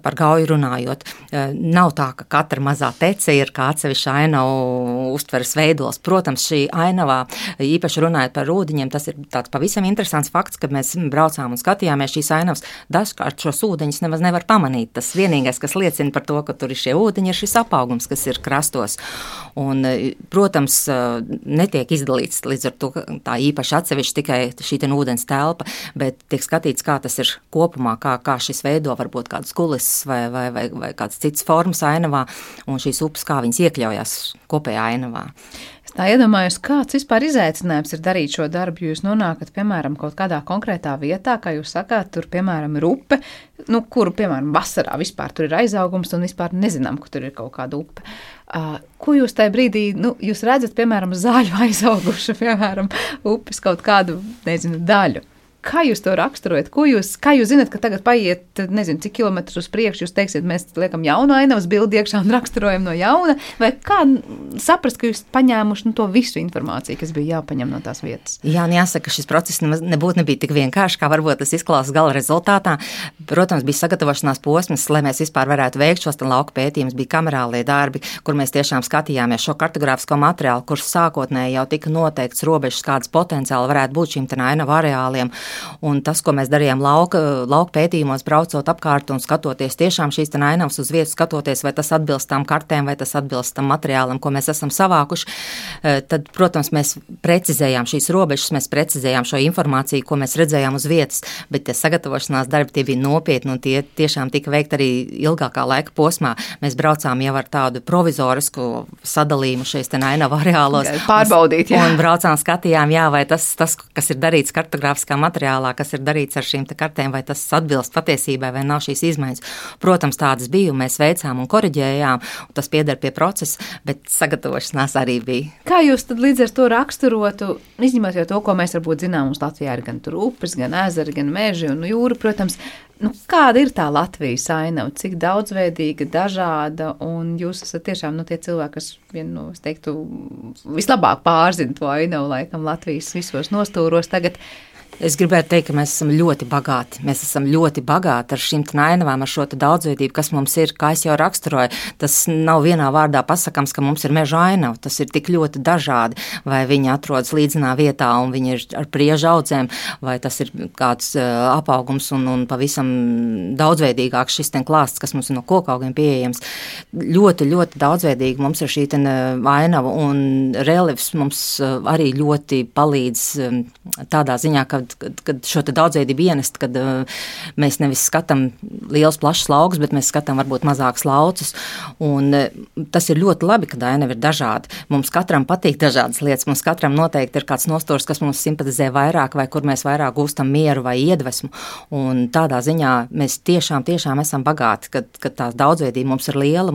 par Gauju runājot. Nav tā, ka katra mazā tece ir kā atsevišķa ainavu uztveres veidols. Protams, šī ainavā, īpaši runājot par ūdeņiem, tas ir tāds pavisam interesants fakts, kad mēs braucām un skatījāmies šīs ainavas. Dažkārt šos ūdeņus nemaz nevar pamanīt. Tas vienīgais, kas liecina par to, ka tur ir šie ūdeņi, ir šis apaugums, kas ir krastos. Un, protams, netiek izdalīts līdz ar to tā īpaši atsevišķi tikai šī ūdens telpa, bet tiek skatīts, kā tas ir kopumā, kā šis veido varbūt kādas kulises vai kādas citas formas ainavā, un šīs upes, kā viņas iekļaujās kopējā ainavā. Es tā iedomājos, kāds vispār izaicinājums ir darīt šo darbu, jo jūs nonākat, piemēram, kaut kādā konkrētā vietā, kā jūs sakāt, tur, piemēram, ir upe, kuru, piemēram, vasarā vispār tur ir aizaugums un vispār nezinām, ka tur ir kaut kāda upe. Ko jūs tajā brīdī, jūs redzat, piemēram, zaļu aizaugušu, piemēram, upes kaut kādu, daļu? Kā jūs to raksturojat? Kā jūs zinat, ka tagad paiet, cik kilometrus uz priekšu, jūs teiksiet, mēs liekam jaunu ainavas bildi iekšā un raksturojam no jauna, vai kā saprast, ka jūs paņēmuši to visu informāciju, kas bija jāpaņem no tās vietas? Jā, jāsaka, šis process nebija tik vienkārši, kā varbūt tas izklausās gala rezultātā. Protams, bija sagatavošanās posms, lai mēs vispār varētu veikt šos lauku pētījumus, bija kamerālie darbi, kur mēs tiešām skatījāmies šo kartogrāfisko materiālu, kurš sākotnēji jau tika noteikts robežas, kādas potenciāli varētu būt šīm ainavu areāliem. Un tas, ko mēs darījām lauka pētījumos, braucot apkārt un skatoties tiešām šīs ainavas uz vietas, skatoties, vai tas atbilst tām kartēm, vai tas atbilst tam materiālam, ko mēs esam savākuši, tad, protams, mēs precizējām šīs robežas, mēs precizējām šo informāciju, ko mēs redzējām uz vietas, bet tie sagatavošanās darbi tie bija nopietni un tie tiešām tika veikti arī ilgākā laika posmā. Mēs braucām jau ar tādu provizorisku sadalījumu šeit ainavu areālos. Pārbaudīt, jā. Un braucām, skatījām, jā, vai tas, kas ir darīts kartogrāfiskā materiālā, kas ir darīts ar šīm kartēm, vai tas atbilst patiesībai, vai nav šīs izmaiņas. Protams, tādas bija, un mēs veicām un koriģējām, un tas pieder pie procesa, bet sagatavošanās arī bija. Kā jūs tad līdz ar to raksturotu, izņemot jau to, ko mēs varbūt zinām, mums Latvijā ir gan tur upes, gan ezeri, gan meži un jūra, protams, kāda ir tā Latvijas ainava, cik daudzveidīga, dažāda, un jūs esat tiešām tie cilvēki, kas es teiktu, vislabāk pārzina to ainavu laikam Latvijas visos nostūros tagad. Es gribētu teikt, ka mēs esam ļoti bagāti. Mēs esam ļoti bagāti ar šīm ainavām, ar šo daudzveidību, kas mums ir, kā es jau raksturoju. Tas nav vienā vārdā pasakams, ka mums ir meža ainava. Tas ir tik ļoti dažādi. Vai viņi atrodas līdzenā vietā un viņi ir ar priežu audzēm, vai tas ir kāds apaugums un pavisam daudzveidīgāks šis klāsts, kas mums ir no kokaugiem pieejams. Ļoti, ļoti daudzveidīgi mums ir šī ainava, un reliefs mums arī ļoti palīdz tādā ziņā, kad šo daudzveidību ienest, kad mēs nevis skatām liels plašs lauks, bet mēs skatām varbūt mazāks laucus, un tas ir ļoti labi, kad ainava ir dažāda. Mums katram patīk dažādas lietas, mums katram noteikti ir kāds nostūrs, kas mums simpatizē vairāk, vai kur mēs vairāk gūstam mieru vai iedvesmu, un tādā ziņā mēs tiešām esam bagāti, kad tā daudzveidība mums ir liela,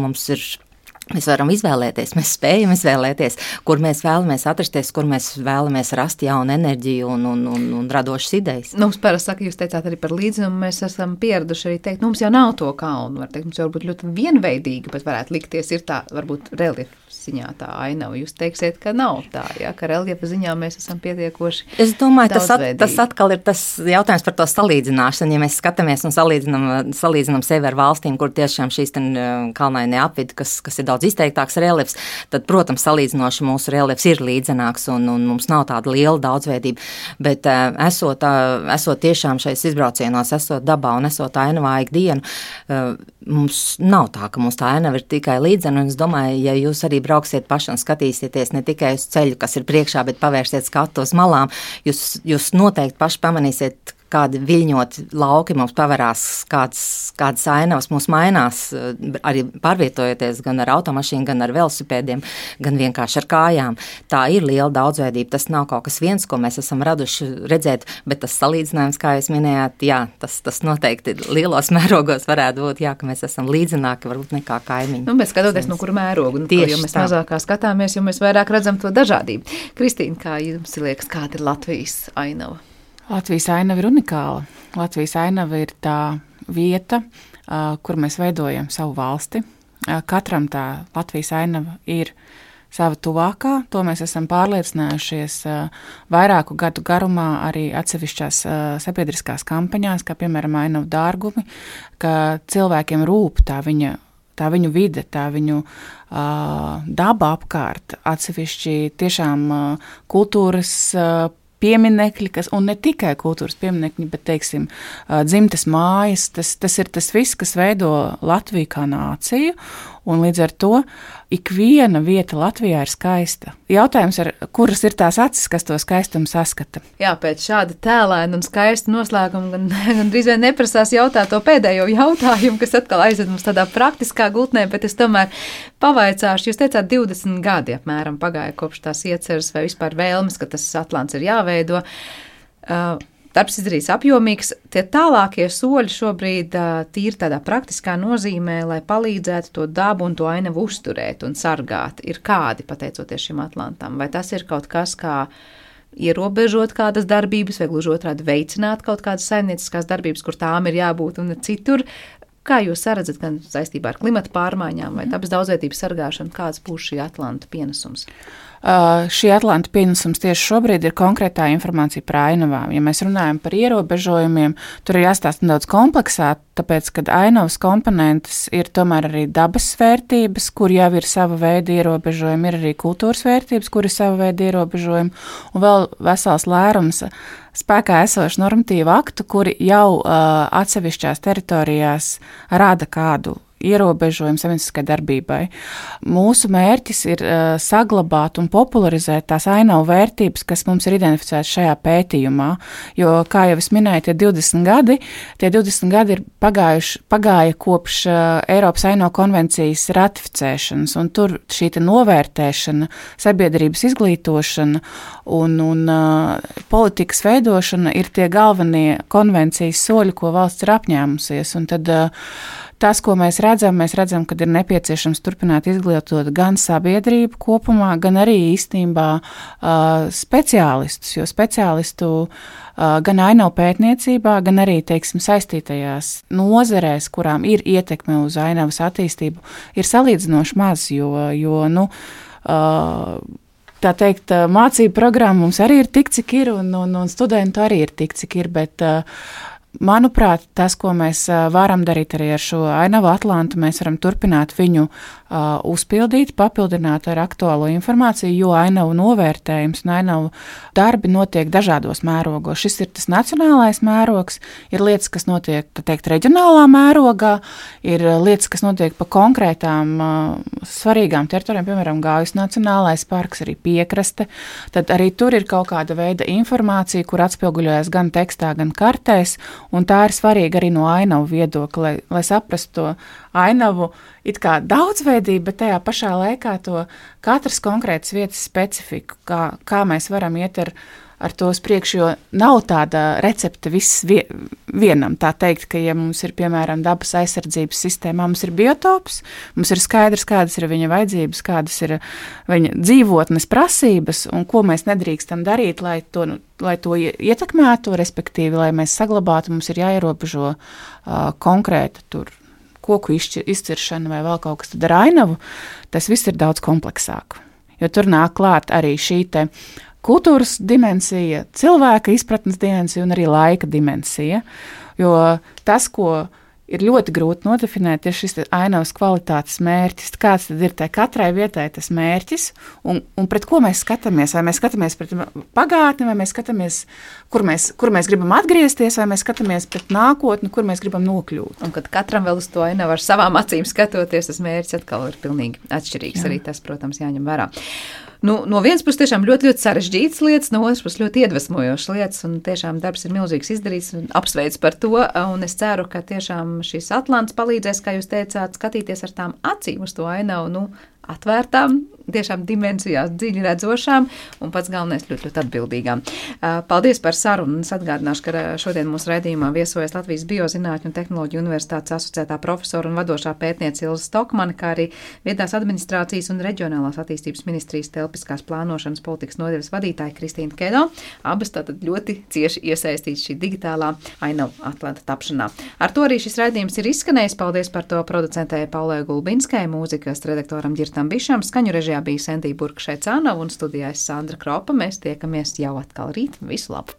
mēs varam izvēlēties, mēs spējam izvēlēties, kur mēs vēlamies atrasties, kur mēs vēlamies rast jaunu enerģiju un radošas idejas. Mums parasti saka, jūs teicāt arī par līdzinumu, mēs esam pieraduši arī teikt, mums jau nav to kalnu, var teikt, mums jau varbūt ļoti vienveidīgi, bet varētu likties, ir tā, varbūt reliefa ziņā tā ainava. Jūs teiksiet, ka nav tā, ja, ka reliefa ziņā mēs esam pietiekoši. Es domāju, tas atkal ir tas jautājums par to salīdzināšanu. Ja mēs skatāmies un salīdzinām sevi ar valstīm, kur tiešām šīs kalnainie apvidi, kas ir daudz izteiktāks reliefs, tad, protams, salīdzinoši mūsu reliefs ir līdzenāks un mums nav tāda liela daudzveidība, bet esot tiešām šais izbraucienos, esot dabā un esot ainavā ikdienu, mums nav tā, ka mums tā ainava ir tikai līdzena, un es domāju, ja jūs arī brauksiet paši un skatīsieties ne tikai uz ceļu, kas ir priekšā, bet pavērsiet skatu uz malām, jūs noteikti paši pamanīsiet, kādi viļņoti lauki mums paverās, kādas ainavas mums mainās, arī pārvietojoties gan ar automašīnu, gan ar velosipēdiem, gan vienkārši ar kājām. Tā ir liela daudzveidība, tas nav kaut kas viens, ko mēs esam raduši redzēt, bet tas salīdzinājums, kā jūs minējāt, jā, tas noteikti lielos mērogos varētu būt, jā, ka mēs esam līdzenāki varbūt nekā kaimiņi. Bet skatoties, no kura mēroga, jo mēs mazākā skatāmies, jo mēs vairāk redzam to dažādību. Kristīna, kā jums liekas, kāda ir Latvijas ainava? Latvijas ainava ir unikāla. Latvijas ainava ir tā vieta, kur mēs veidojam savu valsti. Katram tā Latvijas ainava ir sava tuvākā. To mēs esam pārliecinājušies vairāku gadu garumā arī atsevišķās sabiedriskās kampaņās, kā piemēram Ainavu dārgumi, ka cilvēkiem rūp tā viņu vide, tā viņu daba apkārt, atsevišķi tiešām kultūras pieminekļi, un ne tikai kultūras pieminekļi, bet, teiksim, dzimtes mājas, tas ir tas viss, kas veido Latviju kā nāciju, un līdz ar to ikviena vieta Latvijā ir skaista. Jautājums ir, kuras ir tās acis, kas to skaistumu saskata? Jā, pēc šāda tēlēna un skaista noslēguma gan drīz vien neprasās jautāt to pēdējo jautājumu, kas atkal aizved mums tādā praktiskā gultnē, bet es tomēr pavaicāšu. Jūs teicāt, 20 gadi apmēram pagāja kopš tās ieceras vai vispār vēlmes, ka tas Atlants ir jāveido. Darbs izdarīts apjomīgs. Tie tālākie soļi šobrīd tīri tādā praktiskā nozīmē, lai palīdzētu to dabu un to ainavu uzturēt un sargāt, ir kādi, pateicoties šim Atlantam? Vai tas ir kaut kas, kā ierobežot kādas darbības, vai gluži otrādi veicināt kaut kādas saimnieciskās darbības, kur tām ir jābūt un citur? Kā jūs saredzat gan saistībā ar klimata pārmaiņām vai dabas daudzveidības sargāšanu, kāds būs šī Atlanta pienesums? Šī Atlanta pienesums tieši šobrīd ir konkrētā informācija par ainavām. Ja mēs runājam par ierobežojumiem, tur ir jāstāsta nedaudz kompleksāk, tāpēc, kad ainavas komponentes ir tomēr arī dabas vērtības, kur jau ir sava veida ierobežojumi, ir arī kultūras vērtības, kur ir sava veida ierobežojumi, un vēl vesels lērums spēkā esošu normatīvu aktu, kuri jau atsevišķās teritorijās rada kādu ierobežojumu saimnieciskai darbībai. Mūsu mērķis ir saglabāt un popularizēt tās ainavu vērtības, kas mums ir identificētas šajā pētījumā, jo, kā jau es minēju, tie 20 gadi ir pagāja kopš Eiropas ainavu konvencijas ratificēšanas, un tur šī novērtēšana, sabiedrības izglītošana un politikas veidošana ir tie galvenie konvencijas soļi, ko valsts ir apņēmusies, un tad tas, ko mēs redzam, ka ir nepieciešams turpināt izglītot gan sabiedrību kopumā, gan arī īstenībā speciālistus, jo speciālistu gan ainavu pētniecībā, gan arī, teiksim, saistītajās nozerēs, kurām ir ietekme uz ainavas attīstību, ir salīdzinoši maz, jo tā teikt, mācību programma mums arī ir tik, cik ir, un studentu arī ir tik, cik ir, bet manuprāt, tas, ko mēs varam darīt arī ar šo ainavu Atlantu, mēs varam turpināt viņu uzpildīt, papildināt ar aktuālo informāciju, jo ainavu novērtējums un ainavu darbi notiek dažādos mērogos. Šis ir tas nacionālais mērogs, ir lietas, kas notiek, tā teikt, reģionālā mērogā, ir lietas, kas notiek pa konkrētām svarīgām teritorijām, piemēram, Gaujas nacionālais parks, arī piekraste, tad arī tur ir kaut kāda veida informācija, kur atspilguļojas gan tekstā, gan kartēs, un tā ir svarīga arī no ainavu viedokļa, lai saprastu to ainavu it kā daudzveidību, bet tajā pašā laikā to katras konkrētas vietas specifiku, kā mēs varam iet ar to uz priekšu, jo nav tāda recepte viss vienam. Tā teikt, ka ja mums ir, piemēram, dabas aizsardzības sistēmā, mums ir biotops, mums ir skaidrs, kādas ir viņa vajadzības, kādas ir viņa dzīvotnes prasības un ko mēs nedrīkstam darīt, lai to ietekmētu, respektīvi, lai mēs saglabātu, mums ir jāierobežo konkrēta tur koku izciršana vai vēl kaut kas, tad ar ainavu tas viss ir daudz kompleksāk, jo tur nāk klāt arī šī te kultūras dimensija, cilvēka izpratnes dimensija un arī laika dimensija, jo tas, ko ir ļoti grūti nodefinēt, ir šis ainavas kvalitātes mērķis, kāds tad ir tai katrai vietai tas mērķis un pret ko mēs skatāmies, vai mēs skatāmies pret pagātni, vai mēs skatāmies, kur mēs gribam atgriezties, vai mēs skatāmies pret nākotni, kur mēs gribam nokļūt. Un kad katram vēl uz to ainavu ar savām acīm skatoties, tas mērķis atkal ir pilnīgi atšķirīgs. Jā. Arī tas, protams, jāņem vērā. No vienas puses tiešām ļoti, ļoti sarežģītas lietas, no otras puses ļoti iedvesmojošas lietas, un tiešām darbs ir milzīgs izdarīts, un apsveicu par to, un es ceru, ka tiešām šis Atlants palīdzēs, kā jūs teicāt, skatīties ar tām acīm uz to ainavu, atvērtām, tiešām dimensijās dziļi redzošām un pats galvenais ļoti, ļoti atbildīgām. Paldies par sarunu. Es atgādināšu, ka šodien mūsu raidījumā viesojas Latvijas Biozinātņu un tehnoloģiju universitātes asociētā profesora un vadošā pētniece Ilze Stokmane, kā arī vietās administrācijas un reģionālās attīstības ministrijas telpiskās plānošanas politikas nodaļas vadītāja Kristīna Kedo. Abas tātad ļoti cieši iesaistītas šī digitālā ainavu Atlanta tapšanā. Ar to arī šis raidījums ir izskanējis. Paldies par to producentēji Paulai Gulbinskai, mūzikas redaktoram Ģirtam Krištam Bišam, skaņu režijā bija Sentija Burka Šeicānova un studijā es Sandra Kropa. Mēs tiekamies jau atkal rīt. Visu labu!